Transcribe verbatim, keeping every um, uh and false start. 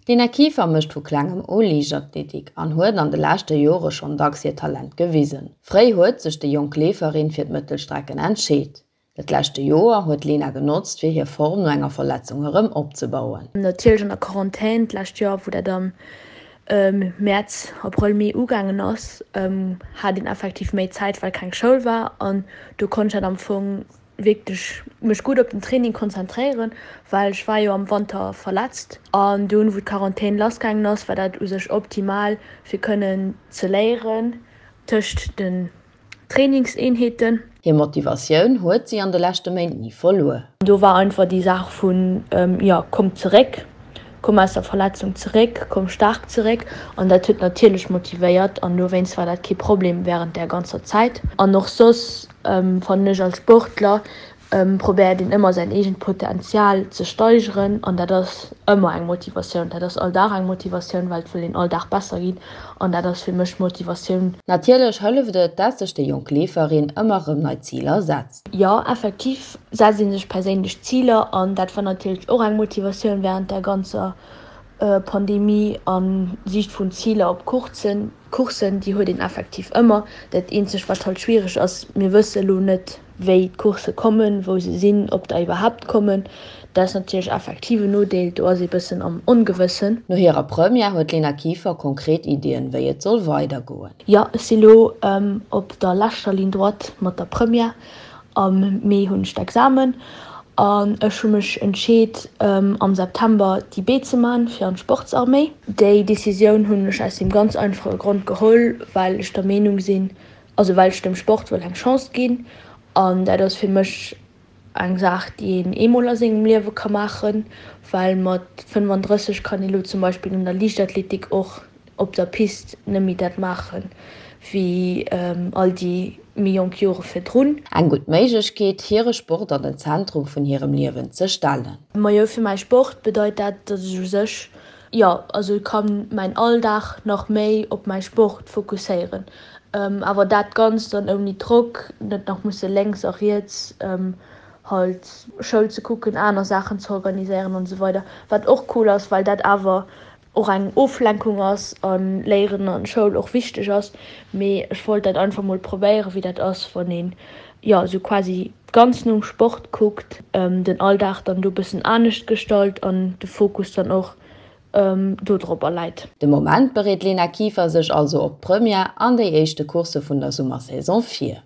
D'Lena Kieffer mécht vu klengem u Liichtathletik an huet an de leschte Jore schonn dacks hiert Talent gewisen. Fréi huet sech déi jonk Leeferin fir d'Mëttelstrecken entscheet. Dat leschte Joer huet d'Lena genotzt, fir hir Form no enger Verletzung erëm opzebauen. Natierlech an der Quarantän d'lescht Joer, wou dat am Mäerz, Abrëll, Mee ugaangen ass, hat een effektiv méi Zäit, well keng Schoul war an do konnt ech dat am Fong wierklech mech gutt op den Training konzentréieren, well ech war jo am Wanter verletzt an dunn, wou d'Quarantän lassgaangen ass, war dat u sech optimal fir kënnen ze léieren tëscht den Trainingseenheeten. Hir Motivatioun huet si an de leschte Méint ni verluer. Do war einfach déi Saach vun, jo, komm zeréck, komm aus der Verletzung zeréck, komm staark zeréck an dat huet natierlech motivéiert an dowéinst war dat kee Problem wärend där ganzer Zäit. An och soss fannen ech als Sportler probéiert een ëmmer säin eegent Potenzial ze steigeren an dat ass ëmmer eng Motivatioun. Dat ass all Dag eng Motivatioun, well et wëll een all Dag besser ginn an dat ass fir mech Motivatioun. Natierlech hëlleft et, dat sech déi jonk Leeferin ëmmer erëm nei Ziler setzt. Jo, effektiv setzt ee sech perséinlech Ziler an dat war natierlech och eng Motivatioun wärend der ganzer Pandemie a Siicht vun Ziler op Coursen. Coursen, déi huet een effektiv ëmmer. Dat eenzegt, wat halt schwiereg ass, mir wësse lo net, wéi d'Coursse kommen, wou se sinn, ob der iwwerhaapt kommen. Dat ass natierlech effektiv en Nodeel, do ass ee bëssen am Ongewëssen. No hirer Première huet d'Lena Kieffer konkret Iddien, wéi et soll weidergoen. Jo, ech si lo op der leschter Ligne droite mat der Première. Am Mee hunn ech d'Examen an ech hu mech entscheet am September déi B ze man fir an d'Sportsarméi. Déi Decisioun hunn ech aus deem ganz einfache Grond geholl, well ech der Meenung sinn, also well ech dem Sport wëll eng Chance ginn an dat ass fir mech eng Saach déi een eemol a sengem Liewe ka maachen, well mat fënnefandrësseg kann ee lo zum Beispill an der Liichtathletik och op der Pist net méi dat maachen, wéi all déi méi jonk Jore virdrun. Eng gutt Méiglechkeet, hire Sport an den Zentrum vun hirem Liewen ze stellen. Majo, fir mäi Sport bedeit dat, datt ech u sech, jo, also ka mäin Alldag nach méi op mäi Sport fokusséieren. Awer dat Ganzt dann ouni Drock, net nach musse lénks a riets halt Schoul ze kucken, aner Saachen ze organiséieren an esou weider. Wat och cool ass, well dat awer och eng Oflenkung ass a Léieren an Schoul och wichteg ass. Mee ech wollt dat einfach mol probéieren, wéi dat ass, wann een, jo, esou quasi ganz nom Sport kuckt, den Alldag dann do bëssen anescht gestalt an de Fokus dann och do dropper läit. De Moment bereet d'Lena Kieffer sech also op d'Première an déi éischte Coursse vun der Summersaison vir.